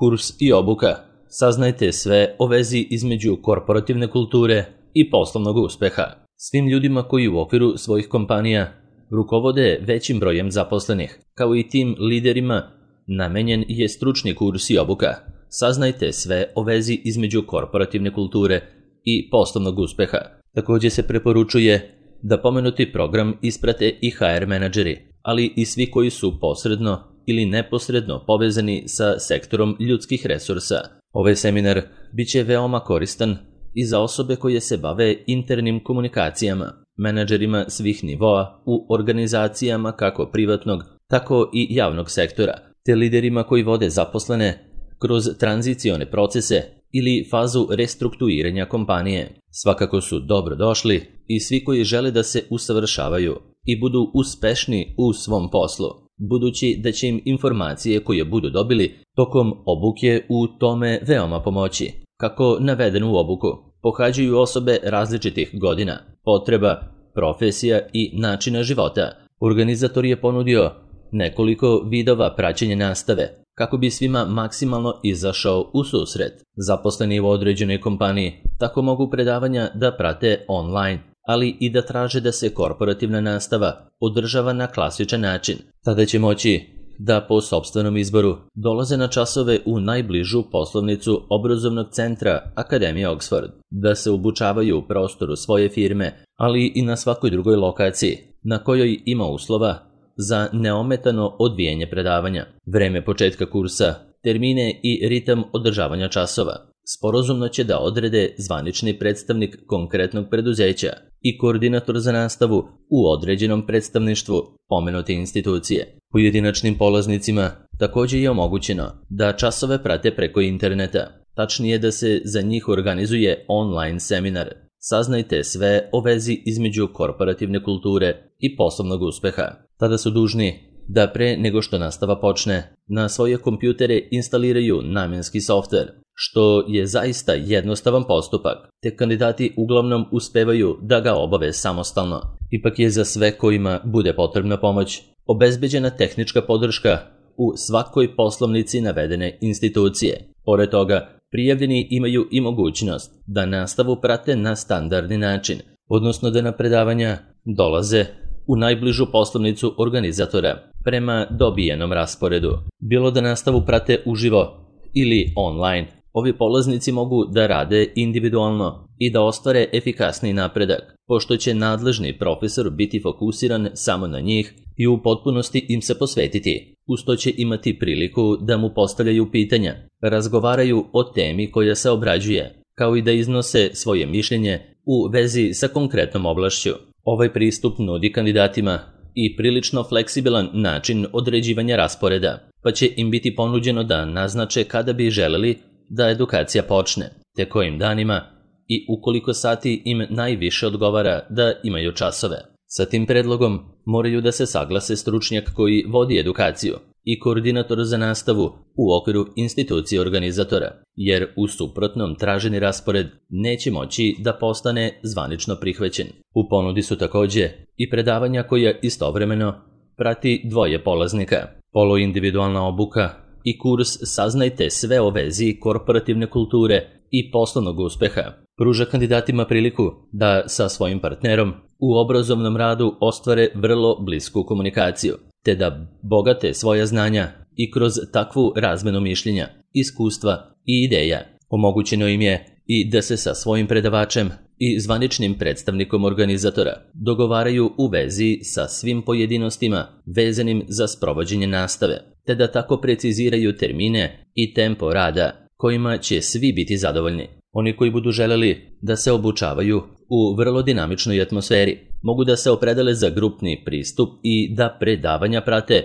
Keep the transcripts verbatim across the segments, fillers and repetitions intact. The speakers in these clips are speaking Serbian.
Kurs i obuka. Saznajte sve o vezi između korporativne kulture i poslovnog uspeha. Svim ljudima koji u okviru svojih kompanija rukovode većim brojem zaposlenih, kao i tim liderima, namenjen je stručni kurs i obuka. Saznajte sve o vezi između korporativne kulture i poslovnog uspeha. Također se preporučuje da pomenuti program isprate i ha er menadžeri, ali i svi koji su posredno ili neposredno povezani sa sektorom ljudskih resursa. Ovaj seminar bit će veoma koristan i za osobe koje se bave internim komunikacijama, menadžerima svih nivoa u organizacijama kako privatnog, tako i javnog sektora, te liderima koji vode zaposlene kroz tranzicione procese ili fazu restrukturiranja kompanije. Svakako su dobro došli i svi koji žele da se usavršavaju i budu uspešni u svom poslu, budući da će im informacije koje budu dobili tokom obuke u tome veoma pomoći. Kako navedeno u obuku, pohađaju osobe različitih godina, potreba, profesija i načina života. Organizator je ponudio nekoliko vidova praćenja nastave, kako bi svima maksimalno izašao u susret. Zaposleni u određenoj kompaniji tako mogu predavanja da prate online, ali i da traže da se korporativna nastava održava na klasičan način. Tada će moći da po sopstvenom izboru dolaze na časove u najbližu poslovnicu obrazovnog centra Akademije Oxford, da se obučavaju u prostoru svoje firme, ali i na svakoj drugoj lokaciji na kojoj ima uslova za neometano odvijanje predavanja. Vreme početka kursa, termine i ritam održavanja časova sporazumno će da odrede zvanični predstavnik konkretnog preduzeća i koordinator za nastavu u određenom predstavništvu pomenute institucije. Pojedinačnim polaznicima također je omogućeno da časove prate preko interneta, tačnije da se za njih organizuje online seminar. Saznajte sve o vezi između korporativne kulture i poslovnog uspeha. Tada su dužni da pre nego što nastava počne, na svoje kompjutere instaliraju namenski softver, što je zaista jednostavan postupak, te kandidati uglavnom uspevaju da ga obave samostalno. Ipak je za sve kojima bude potrebna pomoć obezbeđena tehnička podrška u svakoj poslovnici navedene institucije. Pored toga, prijavljeni imaju i mogućnost da nastavu prate na standardni način, odnosno da na predavanja dolaze u najbližu poslovnicu organizatora prema dobijenom rasporedu. Bilo da nastavu prate uživo ili online, ovi polaznici mogu da rade individualno i da ostvare efikasni napredak, pošto će nadležni profesor biti fokusiran samo na njih i u potpunosti im se posvetiti. Uz to će imati priliku da mu postavljaju pitanja, razgovaraju o temi koja se obrađuje, kao i da iznose svoje mišljenje u vezi sa konkretnom oblašću. Ovaj pristup nudi kandidatima i prilično fleksibilan način određivanja rasporeda, pa će im biti ponuđeno da naznače kada bi želeli da edukacija počne, te kojim danima i u koliko sati im najviše odgovara da imaju časove. Sa tim predlogom moraju da se saglase stručnjak koji vodi edukaciju i koordinator za nastavu u okviru institucije organizatora, jer u suprotnom traženi raspored neće moći da postane zvanično prihvaćen. U ponudi su također i predavanja koja istovremeno prati dvoje polaznika, poluindividualna obuka i kurs Saznajte sve o vezi korporativne kulture i poslovnog uspeha. Pruža kandidatima priliku da sa svojim partnerom u obrazovnom radu ostvare vrlo blisku komunikaciju, te da bogate svoja znanja i kroz takvu razmenu mišljenja, iskustva i ideja. Omogućeno im je i da se sa svojim predavačem i zvaničnim predstavnikom organizatora dogovaraju u vezi sa svim pojedinostima vezanim za sprovođenje nastave, te da tako preciziraju termine i tempo rada kojima će svi biti zadovoljni. Oni koji budu želeli da se obučavaju u vrlo dinamičnoj atmosferi mogu da se opredele za grupni pristup i da predavanja prate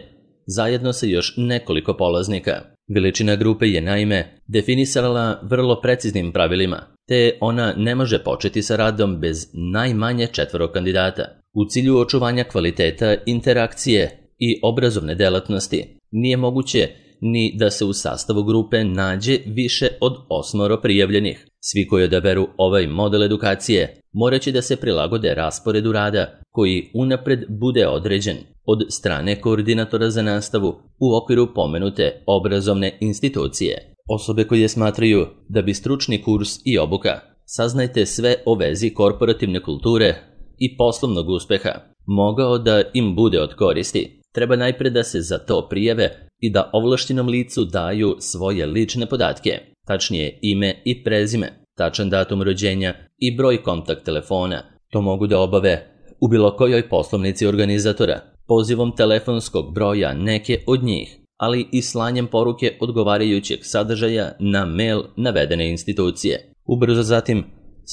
zajedno sa još nekoliko polaznika. Veličina grupe je naime definisala vrlo preciznim pravilima, te ona ne može početi sa radom bez najmanje četvoro kandidata. U cilju očuvanja kvaliteta interakcije i obrazovne delatnosti nije moguće ni da se u sastavu grupe nađe više od osmoro prijavljenih. Svi koji odaberu ovaj model edukacije morat će da se prilagode rasporedu rada koji unapred bude određen od strane koordinatora za nastavu u okviru pomenute obrazovne institucije. Osobe koje smatraju da bi stručni kurs i obuka Saznajte sve o vezi korporativne kulture i poslovnog uspeha mogao da im bude od koristi, treba najpre da se za to prijave i da ovlašćenom licu daju svoje lične podatke, tačnije ime i prezime, tačan datum rođenja i broj kontakt telefona. To mogu da obave u bilo kojoj poslovnici organizatora, pozivom telefonskog broja neke od njih, ali i slanjem poruke odgovarajućeg sadržaja na mail navedene institucije. Ubrzo zatim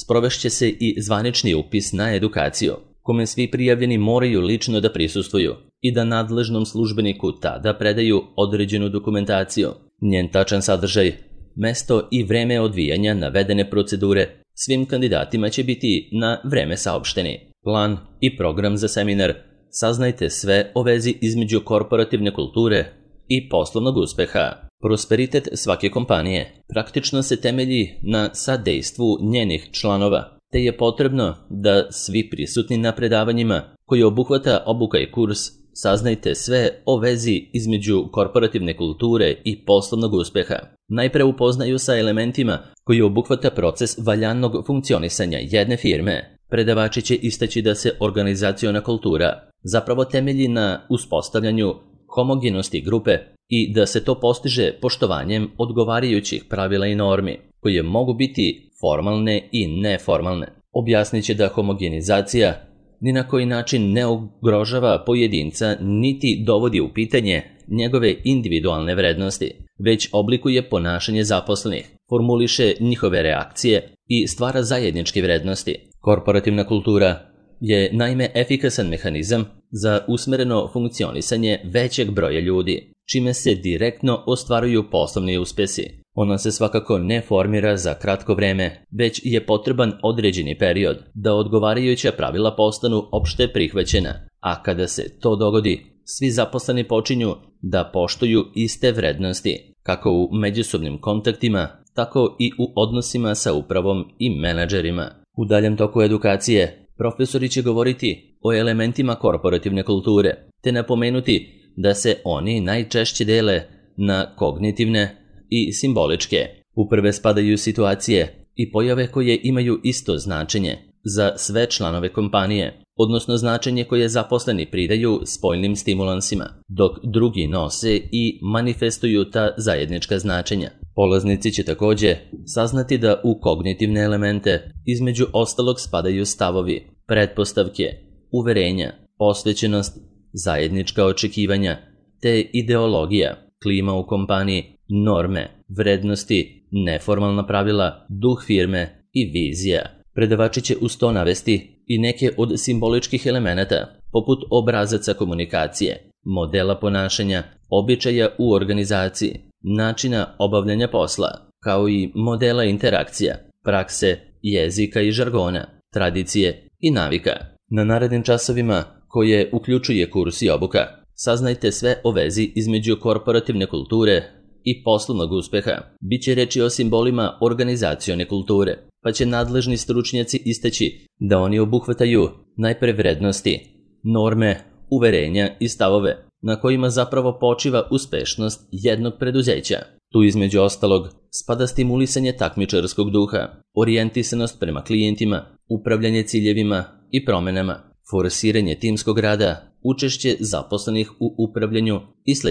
sprovešće se i zvanični upis na edukaciju, kome svi prijavljeni moraju lično da prisustvuju i da nadležnom službeniku tada predaju određenu dokumentaciju. Njen tačan sadržaj, mesto i vreme odvijanja navedene procedure svim kandidatima će biti na vreme saopšteni. Plan i program za seminar Saznajte sve o vezi između korporativne kulture i poslovnog uspeha. Prosperitet svake kompanije praktično se temelji na sadejstvu njenih članova, te je potrebno da svi prisutni na predavanjima koji obuhvata obuka i kurs Saznajte sve o vezi između korporativne kulture i poslovnog uspeha najpre upoznaju sa elementima koji obuhvata proces valjanog funkcionisanja jedne firme. Predavači će istaći da se organizaciona kultura zapravo temelji na uspostavljanju homogenosti grupe i da se to postiže poštovanjem odgovarajućih pravila i normi, koje mogu biti formalne i neformalne. Objasnit će da homogenizacija ni na koji način ne ugrožava pojedinca niti dovodi u pitanje njegove individualne vrednosti, već oblikuje ponašanje zaposlenih, formuliše njihove reakcije i stvara zajedničke vrednosti. Korporativna kultura je naime efikasan mehanizam za usmereno funkcionisanje većeg broja ljudi, čime se direktno ostvaruju poslovni uspesi. Ona se svakako ne formira za kratko vreme, već je potreban određeni period da odgovarajuća pravila postanu opšte prihvaćena, a kada se to dogodi, svi zaposleni počinju da poštuju iste vrednosti, kako u međusobnim kontaktima, tako i u odnosima sa upravom i menadžerima. U daljem toku edukacije, profesori će govoriti o elementima korporativne kulture, te napomenuti da se oni najčešće dele na kognitivne i simboličke. U prve spadaju situacije i pojave koje imaju isto značenje za sve članove kompanije, odnosno značenje koje zaposleni pridaju spoljnim stimulansima, dok drugi nose i manifestuju ta zajednička značenja. Polaznici će takođe saznati da u kognitivne elemente između ostalog spadaju stavovi, pretpostavke, uverenja, posvećenost, zajednička očekivanja, te ideologija, klima u kompaniji, norme, vrednosti, neformalna pravila, duh firme i vizija. Predavači će uz to navesti i neke od simboličkih elemenata, poput obrazaca komunikacije, modela ponašanja, običaja u organizaciji, načina obavljanja posla, kao i modela interakcija, prakse, jezika i žargona, tradicije i navika. Na narednim časovima, koje uključuje kurs i obuka, saznajte sve o vezi između korporativne kulture i poslovnog uspeha. Biće reči o simbolima organizacione kulture, pa će nadležni stručnjaci istaći da oni obuhvataju najpre vrednosti, norme, uverenja i stavove na kojima zapravo počiva uspešnost jednog preduzeća. Tu između ostalog spada stimulisanje takmičarskog duha, orijentisanost prema klijentima, upravljanje ciljevima i promenama, forsiranje timskog rada, učešće zaposlenih u upravljanju i sl.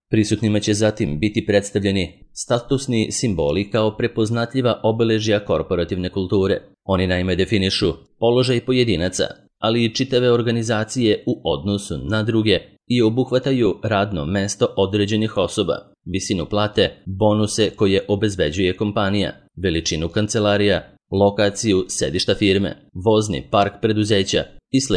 Prisutnima će zatim biti predstavljeni statusni simboli kao prepoznatljiva obeležja korporativne kulture. Oni naime definišu položaj pojedinaca, ali i čitave organizacije u odnosu na druge i obuhvataju radno mesto određenih osoba, visinu plate, bonuse koje obezbeđuje kompanija, veličinu kancelarija, lokaciju sedišta firme, vozni park preduzeća i sl.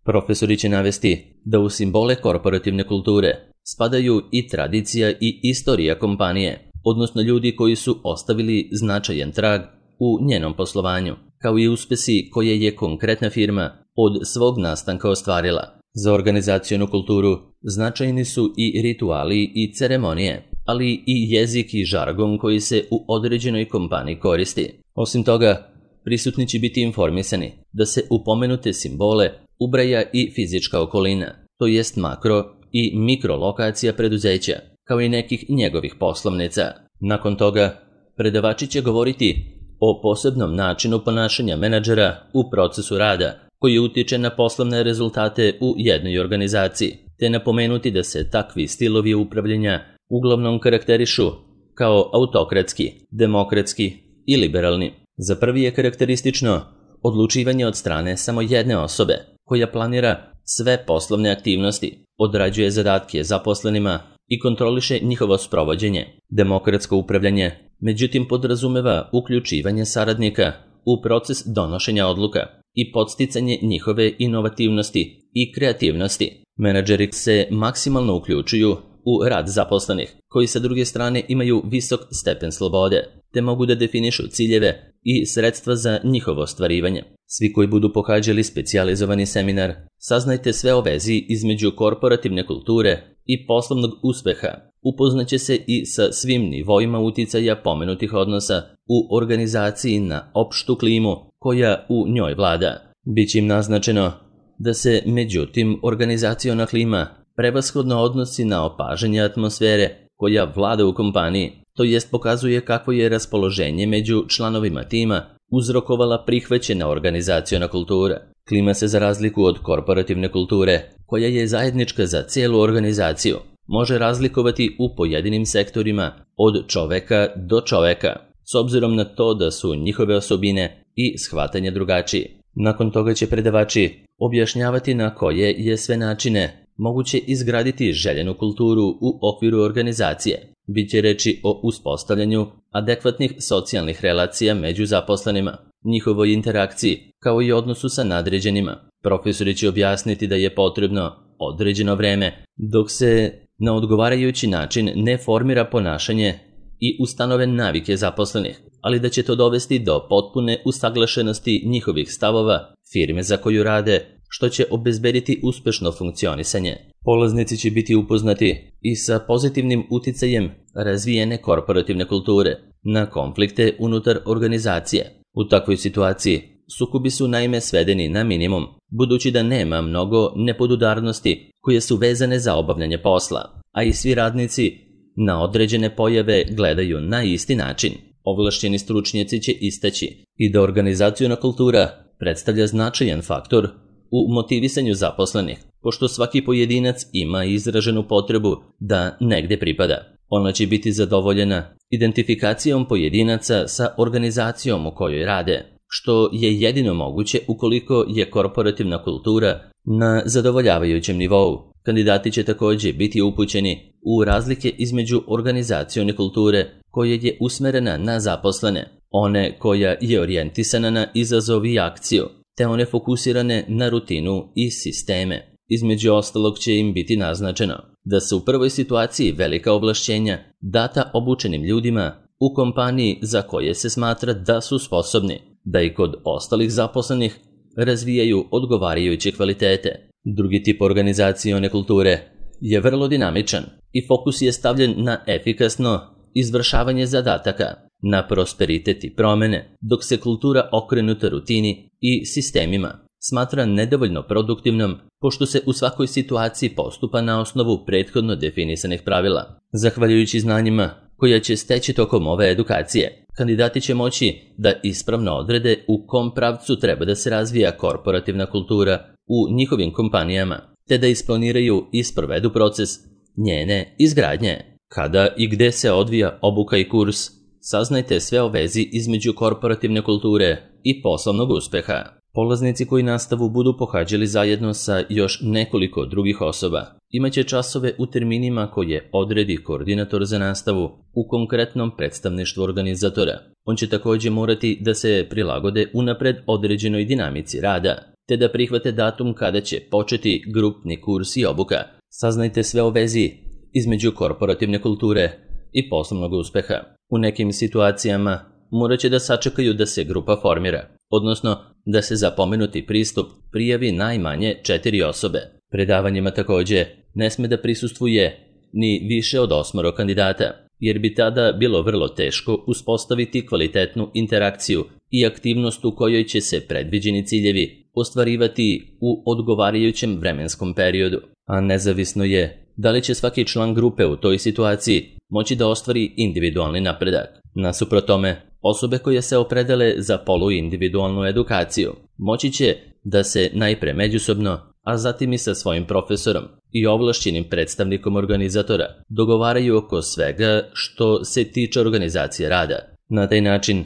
Profesori će navesti da u simbole korporativne kulture spadaju i tradicija i istorija kompanije, odnosno ljudi koji su ostavili značajan trag u njenom poslovanju, kao i uspesi koje je konkretna firma od svog nastanka ostvarila. Za organizacionu kulturu značajni su i rituali i ceremonije, ali i jezik i žargon koji se u određenoj kompaniji koristi. Osim toga, prisutni će biti informisani da se u pomenute simbole ubraja i fizička okolina, to jest makro i mikrolokacija preduzeća, kao i nekih njegovih poslovnica. Nakon toga, predavači će govoriti o posebnom načinu ponašanja menadžera u procesu rada, koji utiče na poslovne rezultate u jednoj organizaciji, te napomenuti da se takvi stilovi upravljanja uglavnom karakterišu kao autokratski, demokratski i liberalni. Za prvi je karakteristično odlučivanje od strane samo jedne osobe, koja planira sve poslovne aktivnosti, odrađuje zadatke zaposlenima i kontroliše njihovo sprovođenje. Demokratsko upravljanje, međutim, podrazumeva uključivanje saradnika u proces donošenja odluka i podsticanje njihove inovativnosti i kreativnosti. Menadžeri se maksimalno uključuju u rad zaposlenih, koji sa druge strane imaju visok stepen slobode, te mogu da definišu ciljeve i sredstva za njihovo ostvarivanje. Svi koji budu pohađali specijalizovani seminar, saznajte sve o vezi između korporativne kulture i poslovnog uspeha. Upoznaće se i sa svim nivoima uticaja pomenutih odnosa u organizaciji na opštu klimu koja u njoj vlada. Biće im naznačeno da se, međutim, organizaciona klima prevashodno odnosi na opažanje atmosfere koja vlada u kompaniji, to jest pokazuje kakvo je raspoloženje među članovima tima uzrokovala prihvaćena organizaciona kultura. Klima se, za razliku od korporativne kulture, koja je zajednička za cijelu organizaciju, može razlikovati u pojedinim sektorima od čoveka do čoveka, s obzirom na to da su njihove osobine i shvatanje drugačiji. Nakon toga će predavači objašnjavati na koje je sve načine moguće izgraditi željenu kulturu u okviru organizacije. Biće reči o uspostavljanju adekvatnih socijalnih relacija među zaposlenima, njihovoj interakciji, kao i odnosu sa nadređenima. Profesori će objasniti da je potrebno određeno vreme dok se na odgovarajući način ne formira ponašanje i ustanove navike zaposlenih, ali da će to dovesti do potpune usaglašenosti njihovih stavova, firme za koju rade, što će obezbediti uspešno funkcionisanje. Polaznici će biti upoznati i sa pozitivnim uticajem razvijene korporativne kulture na konflikte unutar organizacije. U takvoj situaciji sukobi su naime svedeni na minimum, budući da nema mnogo nepodudarnosti koje su vezane za obavljanje posla, a i svi radnici na određene pojave gledaju na isti način. Ovlašćeni stručnjaci će istaći i da organizaciona kultura predstavlja značajan faktor u motivisanju zaposlenih, pošto svaki pojedinac ima izraženu potrebu da negde pripada. Ona će biti zadovoljena identifikacijom pojedinaca sa organizacijom u kojoj rade, što je jedino moguće ukoliko je korporativna kultura na zadovoljavajućem nivou. Kandidati će također biti upućeni u razlike između organizacione kulture koja je usmerena na zaposlene, one koja je orijentisana na izazov i akciju, te one fokusirane na rutinu i sisteme. Između ostalog će im biti naznačeno da su u prvoj situaciji velika ovlašćenja data obučenim ljudima u kompaniji za koje se smatra da su sposobni, da i kod ostalih zaposlenih razvijaju odgovarajuće kvalitete. Drugi tip organizacione kulture je vrlo dinamičan i fokus je stavljen na efikasno izvršavanje zadataka, na prosperitet i promene, dok se kultura okrenuta rutini i sistemima smatra nedovoljno produktivnom, pošto se u svakoj situaciji postupa na osnovu prethodno definisanih pravila. Zahvaljujući znanjima koja će steći tokom ove edukacije, kandidati će moći da ispravno odrede u kom pravcu treba da se razvija korporativna kultura u njihovim kompanijama, te da isplaniraju i sprovedu proces njene izgradnje. Kada i gde se odvija obuka i kurs, saznajte sve o vezi između korporativne kulture i poslovnog uspeha. Polaznici koji nastavu budu pohađali zajedno sa još nekoliko drugih osoba imaće časove u terminima koje odredi koordinator za nastavu u konkretnom predstavništvu organizatora. On će također morati da se prilagode unapred određenoj dinamici rada, te da prihvate datum kada će početi grupni kurs i obuka. Saznajte sve o vezi između korporativne kulture i poslovnog uspeha. U nekim situacijama morat će da sačekaju da se grupa formira, odnosno da se za pomenuti pristup prijavi najmanje četiri osobe. Predavanjima također ne sme da prisustvuje ni više od osmoro kandidata, jer bi tada bilo vrlo teško uspostaviti kvalitetnu interakciju i aktivnost u kojoj će se predviđeni ciljevi ostvarivati u odgovarajućem vremenskom periodu. A nezavisno je da li će svaki član grupe u toj situaciji moći da ostvari individualni napredak. Nasuprot tome, osobe koje se opredele za poluindividualnu edukaciju moći će da se najpre međusobno, a zatim i sa svojim profesorom i ovlašćenim predstavnikom organizatora dogovaraju oko svega što se tiče organizacije rada. Na taj način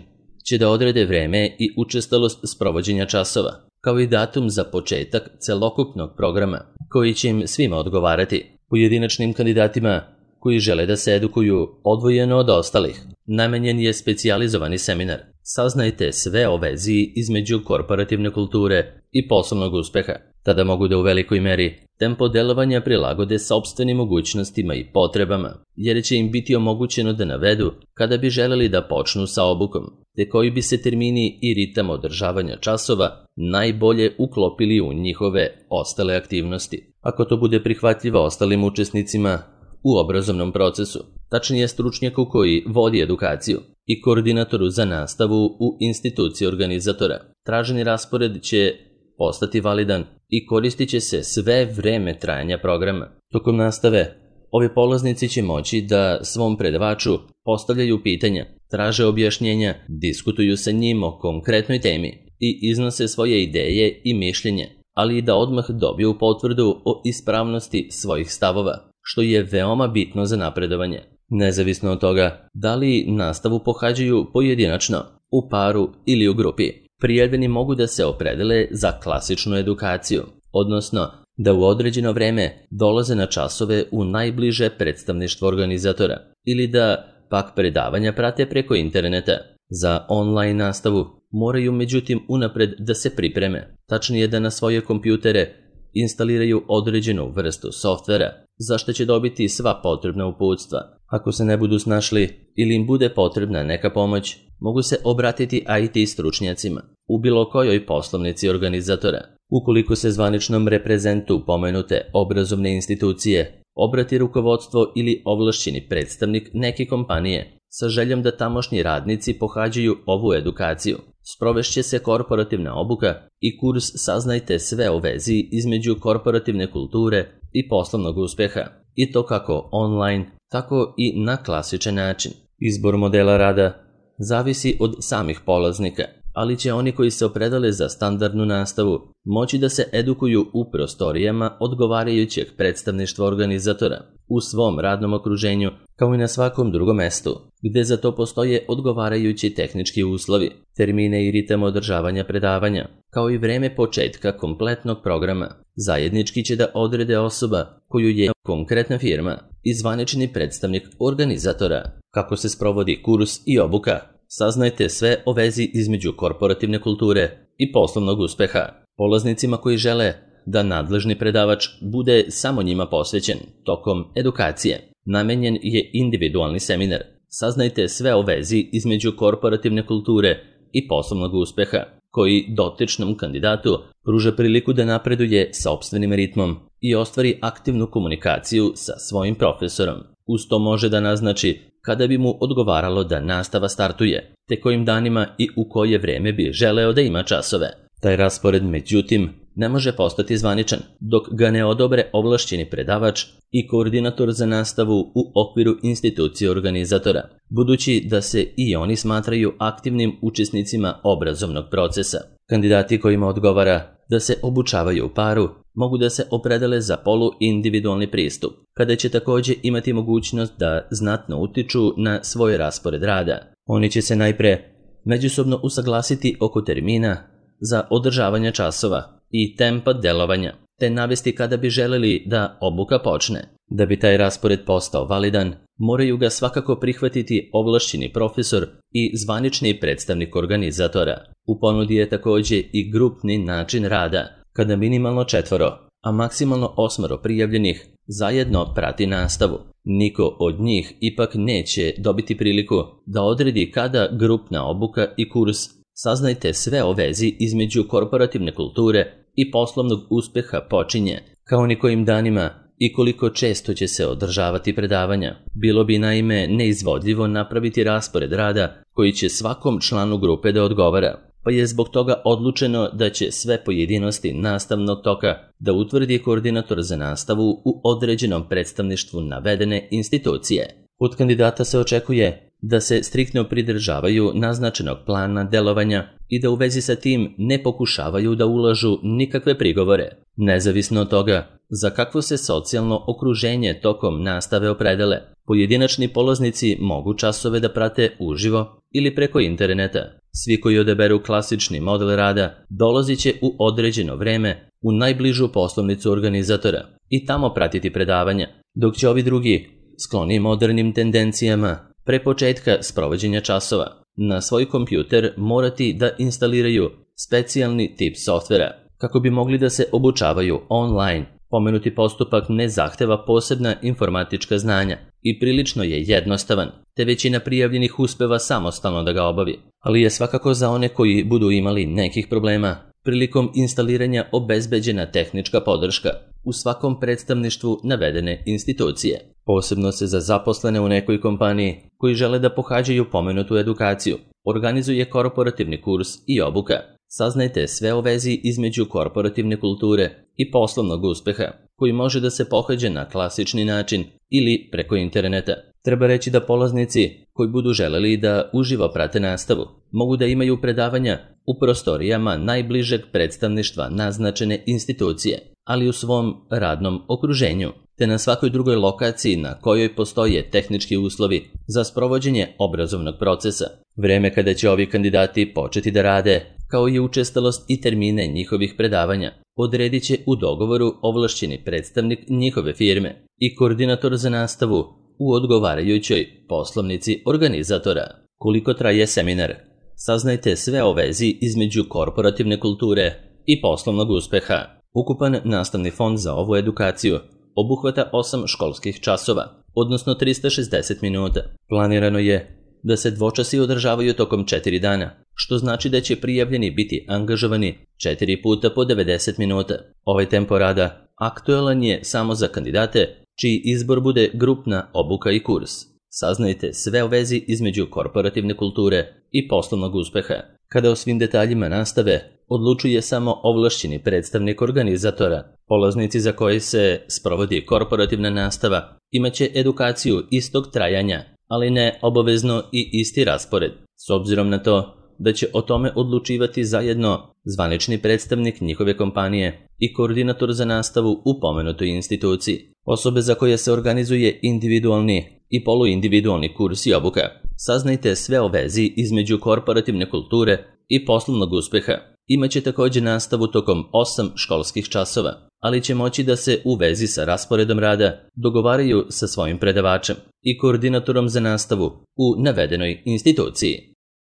će da odrede vreme i učestalost sprovođenja časova, kao i datum za početak celokupnog programa, koji će im svima odgovarati. Pojedinačnim kandidatima koji žele da se edukuju odvojeno od ostalih namenjen je specijalizovani seminar. Saznajte sve o vezi između korporativne kulture i poslovnog uspeha. Tada mogu da u velikoj meri tempo delovanja prilagode sopstvenim mogućnostima i potrebama, jer će im biti omogućeno da navedu kada bi želeli da počnu sa obukom, te koji bi se termini i ritam održavanja časova najbolje uklopili u njihove ostale aktivnosti. Ako to bude prihvatljivo ostalim učesnicima u obrazovnom procesu, tačnije stručnjaku koji vodi edukaciju i koordinatoru za nastavu u instituciji organizatora, traženi raspored će postati validan i koristit će se sve vreme trajanja programa. Tokom nastave, ovi polaznici će moći da svom predavaču postavljaju pitanja, traže objašnjenja, diskutuju sa njim o konkretnoj temi i iznose svoje ideje i mišljenje, ali i da odmah dobiju potvrdu o ispravnosti svojih stavova, što je veoma bitno za napredovanje. Nezavisno od toga da li nastavu pohađaju pojedinačno, u paru ili u grupi, prijavljeni mogu da se opredele za klasičnu edukaciju, odnosno da u određeno vreme dolaze na časove u najbliže predstavništvo organizatora ili da pak predavanja prate preko interneta. Za online nastavu moraju međutim unapred da se pripreme, tačnije da na svoje kompjutere instaliraju određenu vrstu softvera, za što će dobiti sva potrebna uputstva. Ako se ne budu snašli ili im bude potrebna neka pomoć, mogu se obratiti I T stručnjacima u bilo kojoj poslovnici organizatora. Ukoliko se zvaničnom reprezentu pomenute obrazovne institucije obrati rukovodstvo ili ovlašćeni predstavnik neke kompanije sa željom da tamošnji radnici pohađaju ovu edukaciju, sprovešće se korporativna obuka i kurs Saznajte sve o vezi između korporativne kulture i poslovnog uspeha, i to kako online, tako i na klasičan način. Izbor modela rada zavisi od samih polaznika, ali će oni koji se opredale za standardnu nastavu moći da se edukuju u prostorijama odgovarajućeg predstavništva organizatora u svom radnom okruženju, kao i na svakom drugom mestu, gde za to postoje odgovarajući tehnički uslovi, termine i ritam održavanja predavanja, kao i vreme početka kompletnog programa. Zajednički će da odrede osoba koju je konkretna firma i zvanični predstavnik organizatora. Kako se sprovodi kurs i obuka? Saznajte sve o vezi između korporativne kulture i poslovnog uspeha. Polaznicima koji žele da nadležni predavač bude samo njima posvećen tokom edukacije, namenjen je individualni seminar. Saznajte sve o vezi između korporativne kulture i poslovnog uspeha, koji dotičnom kandidatu pruža priliku da napreduje sopstvenim ritmom i ostvari aktivnu komunikaciju sa svojim profesorom. Uz to može da naznači kada bi mu odgovaralo da nastava startuje, te kojim danima i u koje vreme bi želeo da ima časove. Taj raspored, međutim, ne može postati zvaničan dok ga ne odobre ovlašćeni predavač i koordinator za nastavu u okviru institucije organizatora, budući da se i oni smatraju aktivnim učesnicima obrazovnog procesa. Kandidati kojima odgovara da se obučavaju u paru mogu da se opredele za poluindividualni pristup, kada će također imati mogućnost da znatno utiču na svoj raspored rada. Oni će se najpre međusobno usaglasiti oko termina za održavanje časova i tempa delovanja, te navesti kada bi želeli da obuka počne. Da bi taj raspored postao validan, moraju ga svakako prihvatiti ovlašćeni profesor i zvanični predstavnik organizatora. U ponudi je također i grupni način rada, kada minimalno četvoro, a maksimalno osmoro prijavljenih zajedno prati nastavu. Niko od njih ipak neće dobiti priliku da odredi kada grupna obuka i kurs Saznajte sve o vezi između korporativne kulture i poslovnog uspeha počinje, kao ni kojim danima i koliko često će se održavati predavanja. Bilo bi naime neizvodljivo napraviti raspored rada koji će svakom članu grupe da odgovara. pa je zbog toga odlučeno da će sve pojedinosti nastavnog toka da utvrdi koordinator za nastavu u određenom predstavništvu navedene institucije. Od kandidata se očekuje da se striktno pridržavaju naznačenog plana delovanja i da u vezi sa tim ne pokušavaju da ulažu nikakve prigovore, nezavisno od toga za kakvo se socijalno okruženje tokom nastave opredele. Pojedinačni polaznici mogu časove da prate uživo ili preko interneta. Svi koji odaberu klasični model rada dolazit će u određeno vreme u najbližu poslovnicu organizatora i tamo pratiti predavanja, dok će ovi drugi, skloni modernim tendencijama, pre početka sprovođenja časova, na svoj kompjuter morati da instaliraju specijalni tip softvera kako bi mogli da se obučavaju online. Pomenuti postupak ne zahteva posebna informatička znanja i prilično je jednostavan, te većina prijavljenih uspeva samostalno da ga obavi, ali je svakako za one koji budu imali nekih problema prilikom instaliranja obezbeđena tehnička podrška u svakom predstavništvu navedene institucije. Posebno se za zaposlene u nekoj kompaniji koji žele da pohađaju pomenutu edukaciju organizuje korporativni kurs i obuka. Saznajte sve o vezi između korporativne kulture i poslovnog uspeha, koji može da se pohađa na klasični način ili preko interneta. Treba reći da polaznici koji budu želeli da uživo prate nastavu mogu da imaju predavanja u prostorijama najbližeg predstavništva naznačene institucije, ali u svom radnom okruženju, te na svakoj drugoj lokaciji na kojoj postoje tehnički uslovi za sprovođenje obrazovnog procesa. Vreme kada će ovi kandidati početi da rade, kao i učestalost i termine njihovih predavanja, odredit će u dogovoru ovlašćeni predstavnik njihove firme i koordinator za nastavu u odgovarajućoj poslovnici organizatora. Koliko traje seminar? Saznajte sve o vezi između korporativne kulture i poslovnog uspeha. Ukupan nastavni fond za ovu edukaciju obuhvata osam školskih časova, odnosno trista šezdeset minuta. Planirano je da se dvočasi održavaju tokom četiri dana, što znači da će prijavljeni biti angažovani četiri puta po devedeset minuta. Ovaj tempo rada aktuelan je samo za kandidate čiji izbor bude grupna obuka i kurs. Saznajte sve o vezi između korporativne kulture i poslovnog uspeha. Kada o svim detaljima nastave odlučuje samo ovlašćeni predstavnik organizatora, polaznici za koje se sprovodi korporativna nastava imaće edukaciju istog trajanja, ali ne obavezno i isti raspored, s obzirom na to da će o tome odlučivati zajedno zvanični predstavnik njihove kompanije i koordinator za nastavu u pomenutoj instituciji. Osobe za koje se organizuje individualni i poluindividualni kurs i obuka. Saznajte sve o vezi između korporativne kulture i poslovnog uspeha. Imaće također nastavu tokom osam školskih časova, ali će moći da se u vezi sa rasporedom rada dogovaraju sa svojim predavačem i koordinatorom za nastavu u navedenoj instituciji.